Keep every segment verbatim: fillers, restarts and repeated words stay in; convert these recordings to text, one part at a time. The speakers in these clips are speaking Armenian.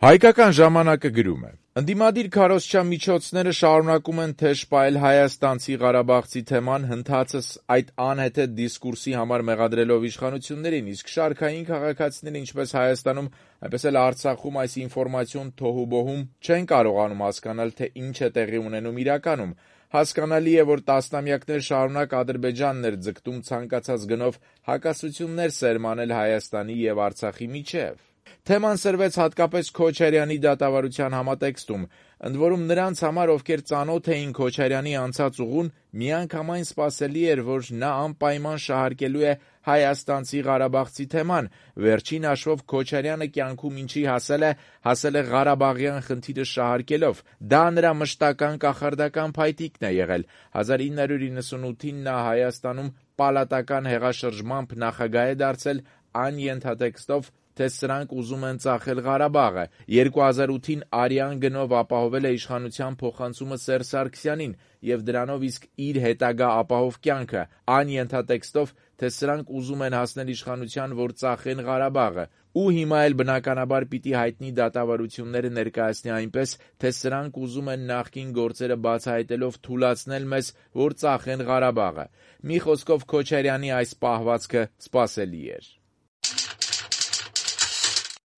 Հայկական ժամանակը գրում է. ընդդիմադիր քարոզչա միջոցները շարունակում են թեժ պահել հայաստանցի ղարաբաղցի թեման, հնդհածս այդ անհեթեթ դիսկուրսի համար մեղադրելով իշխանություններին, իսկ շարքային քաղաքացիները ինչպես Հայաստանում, այնպես էլ Արցախում այս ինֆորմացիոն թոհուբոհում չեն կարողանում հասկանալ, թե ինչ է տեղի ունենում իրականում։ Հասկանալի է, որ տասնամյակներ շարունակ Ադրբեջանն էր ձգտում ցանկացած գնով հակասություններ սերմանել Հայաստանի և Արցախի միջև։ Թեման սրվեց հատկապես Քոչարյանի դատավարության համատեքստում, ընդ որում նրանց համար, ովքեր ծանոթ էին Քոչարյանի անցած ուղուն, միանգամայն սպասելի էր, որ նա անպայման շահարկելու է հայաստանցի ղարաբաղցի թեման։ Վերջին հաշվով Քոչարյանը կյանքում ինչի հասել է, հասել է ղարաբաղյան խնդիրը շահարկելով։ Դա նրա մշտական կախարդական փայտիկն է եղել։ հազար ինը հարյուր իննսունութին նա Հայաստանում պալատական հեղաշրջմամբ նախագահ է դարձել այն ենթատեքստով, թե սրանք ուզում են ծախել Ղարաբաղը։ երկու հազար ութին արյան գնով ապահովել է իշխանության փոխանցումը Սերժ Սարգսյանին և դրանով իսկ իր հետագա ապահով կյանքը, այն ենթատեքստով, թե սրանք ուզում են հասնել իշխանության, որ ծախեն Ղարաբաղը, ու հիմա էլ բնականաբար պիտի հայտնի դատավարությունները ներկայացնի այնպես, թե սրանք ուզում են նախկին գործերը բացահայտելով թուլացնել մեզ, որ ծախեն Ղարաբաղը։ Մի խոսքով Քոչարյանի այս պահվածքը սպասելի էր։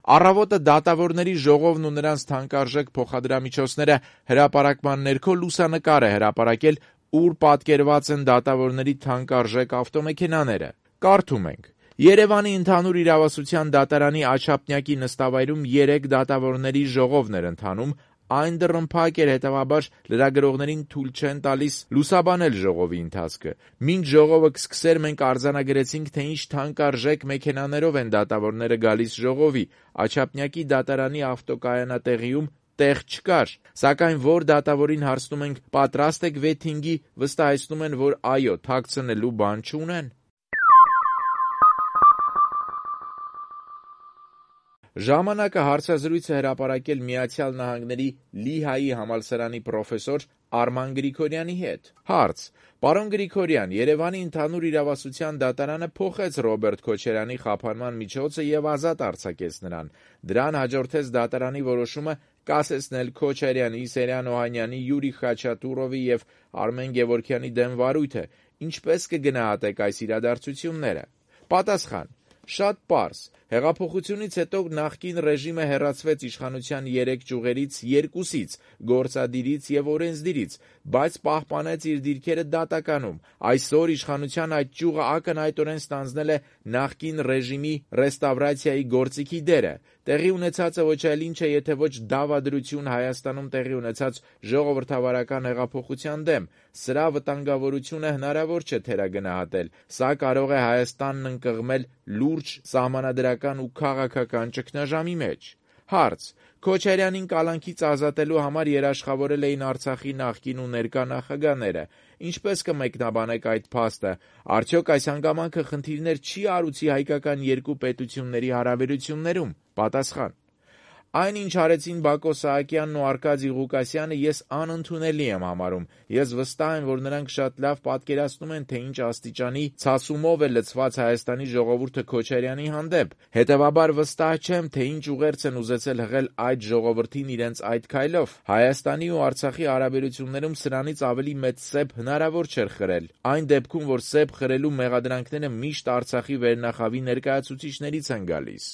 Առավոտը դատավորների ժողովն ու նրանց թանկարժեք փոխադրամիջոցները հրապարակման ներքո լուսանկար է հրապարակել, ուր պատկերված են դատավորների թանկարժեք ավտոմեքենաները։ Կարդում ենք. Երևանի ընդհանուր իրավասության դատարանի Աչափնյակի նստավայրում երեք դատավորների ժողովն էր ընթանում, այն դռնփակ էր, հետևաբար լրագրողներին թույլ չեն տալիս լուսաբանել ժողովի ընթացքը։ Մինչ ժողովը կսկսեր, մենք արձանագրեցինք, թե ինչ թանկարժեք մեքենաներով են դատավորները գալիս ժողովի։ Աչափնյակի դատարանի ավտոկայանատեղիում տեղ չկար, սակայն որ դատավորին հարցնում ենք պատրաստ եք վեթինգի, վստահեցնում են, որ այո, թաքցնելու բան չունեն։ Ժամանակը հարցազրույց է հրապարակել Միացյալ Նահանգների Լիհայի համալսարանի պրոֆեսոր Արման Գրիգորյանի հետ։ Հարց. Պարոն Գրիգորյան, Երևանի ընդհանուր իրավասության դատարանը փոխեց Ռոբերտ Քոչարյանի խափանման միջոցը և ազատ արձակեց նրան։ Դրան հաջորդեց դատարանի որոշումը կասեցնել Քոչարյանի, Սերյան Օհանյանի, Յուրի Խաչատուրովի և Արմեն Գևորգյանի դեմ վարույթը։ Ինչպես կգնահատեք այս իրադարձությունները։ Պատասխան. Շատ պարզ։ Հեղափոխությունից հետո նախկին ռեժիմը հեռացվեց իշխանության երեք ճյուղերից երկուսից՝ գործադիրից և օրենսդիրից, բայց պահպանեց իր դիրքերը դատականում։ Այսօր իշխանության այդ ճյուղը ակնհայտորեն ստանձնել է նախկին ռեժիմի ռեստավրացիայի գործիքի դերը։ Տեղի ունեցածը ոչ այլ ինչ է, եթե ոչ դավադրություն Հայաստանում տեղի ունեցած ժողովրդավարական հեղափոխության դեմ։ Սրա վտանգավորությունը հնարավոր չէ թերագնահատել։ Սա կարող է Հայաստանն ընկղմել լուրջ սահմանադրական ու քաղաքական ճգնաժամի մեջ։ Հարց. Քոչարյանին կալանքից ազատելու համար երաշխավորել էին Արցախի նախկին ու ներկա նախագահները։ Ինչպես կմեկնաբանեք այդ փաստը։ Արդյոք այս հանգամանքը խնդիրներ չի արուցի հայկական երկու պետությունների հարաբերություններում։ Պատասխան. Այն, ինչ արեցին Բակո Սահակյանն ու Արկադի Ղուկասյանը, ես անընդունելի եմ համարում։ Ես վստահ եմ, որ նրանք շատ լավ պատկերացնում են, թե ինչ աստիճանի ցասումով է լցված Հայաստանի ժողովուրդը Քոչարյանի հանդեպ։ Հետևաբար վստահ չեմ, թե ինչ ուղերձ են ուզեցել հղել այդ ժողովրդին իրենց այդ քայլով։ Հայաստանի ու Արցախի հարաբերություններում սրանից ավելի մեծ սեպ հնարավոր չէր խրել։ Այն դեպքում, որ սեպ խրելու մեղադրանքները միշտ Արցախի վերնախավի ներկայացուցիչներից են գալիս։